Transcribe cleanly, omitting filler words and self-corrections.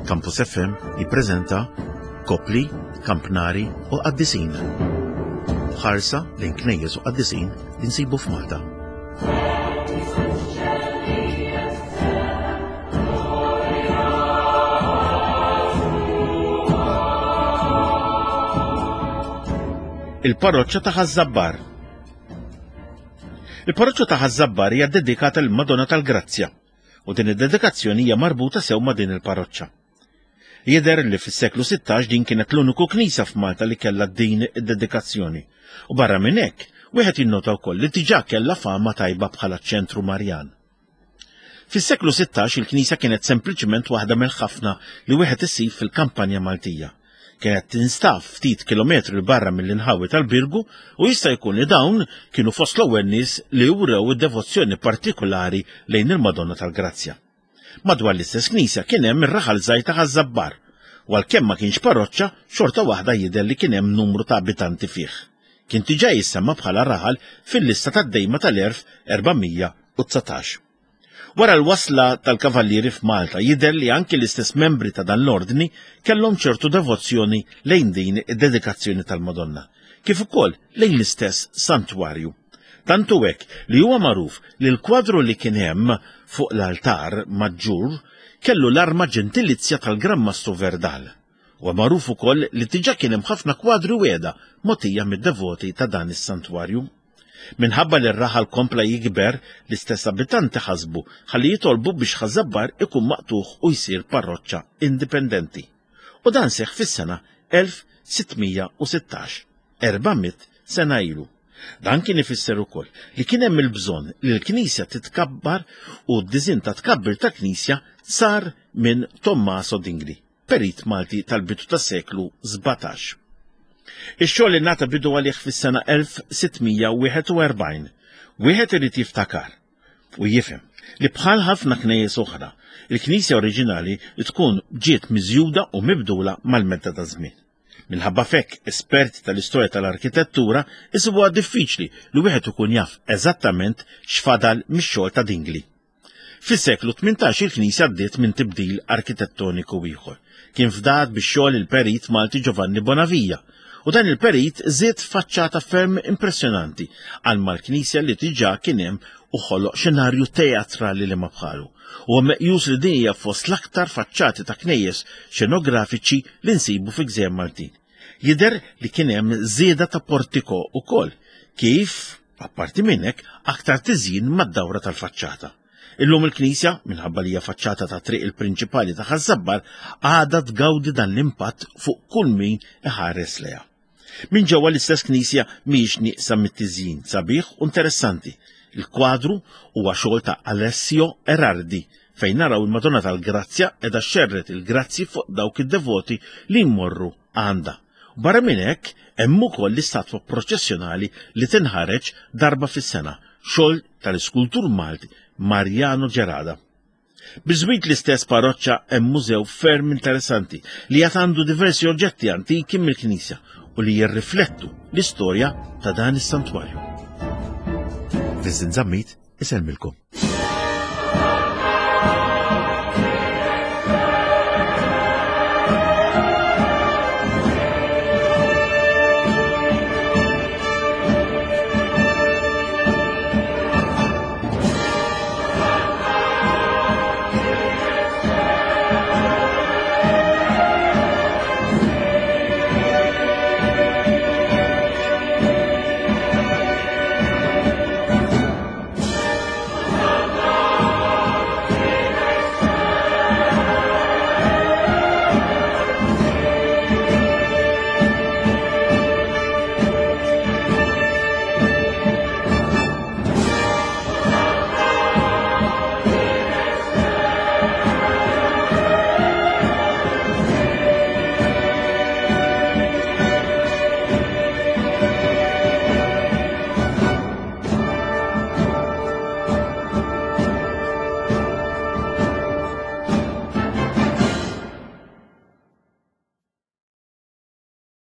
Campus FM jippreżenta Kopli, Kampnari u Qaddisin. Ħarsa lejn knejjes u qaddisin li nsibu f'Malta. Il-parroċċa ta' Ħaż-Żabbar. Il-parroċċa ta' Ħaż-Żabbar hija ddedikata lill-Madonna tal-Grazzja u din id-dedikazzjoni hija marbuta sew ma' din il-parroċċa. Jidher li fis-seklu 16 din kienet l-uniku knisja f'Malta li kellha din id-dedikazzjoni. U barra minn hekk, wieħed jinnota wkoll li diġà kellha fama tajba bħala ċentru Marjan. Fis-seklu 16 il-knisja kienet sempliċement waħda mill-ħafna li wieħed isib fil-kampanja Maltija. Kienet tinstab ftit kilometri 'l barra mill-inħawi tal-Birgu u jista' jkun li dawn kienu fost l-ewwel nies li wrew id-devozzjoni partikulari lejn il-Madonna tal-Grazzja. Madwar l-istess knisja kien hemm ir-raħal żgħir ta' Ħaż-Żabbar u għalkemm ma kienx parroċċa, xorta waħda jidher li kien hemm numru ta' abitanti fih. Kien diġà jissemma bħala raħal fil-lista tad-dejma tal-1419. Wara l-wasla tal-Kavallieri f'Malta jidher li anki l-istess membri ta' dan l-ordni kellhom ċertu devozzjoni lejn din id-dedikazzjoni tal-Madonna, kif ukoll lejn l-istess santwarju. Tant hu hekk li huwa magħruf li l-kwadru li kien hemm fuq l-altar maġġur kellu l-arma ġentilizja tal-Gran Mastru Verdal. Huwa magħruf ukoll li diġà kien hemm ħafna kwadri wiegħda mogħtija mid-devoti ta' dan is-santwarju. Minħabba li r-raħal kompla jikber, l-istess abitanti ħasbu ħalli jitolbu biex Ħaż-Żabbar ikun maqtugħ u jsir parroċċa indipendenti. U dan seħħ fis-sena 1616, 400 sena ilu. Dan kien ifisser ukoll li kien hemm il-bżonn li l-knisja titkabbar u d-diżinn ta' tkabbir ta' knisja sar minn Tommaso Dingli. perit Malti tal-bidu tas-seklu 17. Ix-xogħol ingħata bidu għalih fis-sena 1641. Wieħed irid jiftakar u jifhem li bħal ħafna knejjes oħra, il-knisja oriġinali tkun ġiet miżjuda u mibdula mal-medda ta' żmien. Minħabba fekk, esperti tal-istorja tal-arkitettura isibuha diffiċli li wieħed ikun jaf eżattament x'fadal mix-xogħol ta' Dingli. Fis-seklu 18 il-knisja għaddiet minn tibdil arkitettoniku ieħor. Kien fdat bix-xogħol il-perit Malti Giovanni Bonavia u dan il-perit żied faċċata ferm impressjonanti għal mal-knisja li diġà kien hemm u ħoloq xenarju teatrali li ma bħalu. Huwa meqjus li din hija fost l-aktar faċċati ta' knejjes xenografiċi li nsibu fi gżejjer Maltin. Jidher li kien hemm żieda ta' portiko ukoll, kif Apparti minn hekk, aktar tiżjin mad-dawra tal-faċċata. Illum il-knisja, minħabba li hija faċċata ta' triq il-prinċipali ta' Ħaż-Żabbar, għadha tgawdi dan l-impatt fuq kull min iħares lejha. Minn ġewwa l-istess knisja mhijiex nieqsa mit-tiżjin sabiħ u interessanti. Il-kwadru huwa xogħol ta' Alessio Erardi fejn naraw il-Madonna tal-Grazzja qiegħda xxerred il-grazzji fuq dawk id-devoti li jmorru għandha. Barra minn hekk, hemm ukoll l-istatwa proċessjonali li tinħareġ darba fis-sena, xogħol tal-iskultur Malti Mariano Gerada. Biżwit l-istess parroċċa hemm mużew ferm interessanti li għad għandu diversi oġġetti antiki mill-knisja u li jirriflettu l-istorja ta' dan is-santwarju. Vincent Zammit isellmilkom.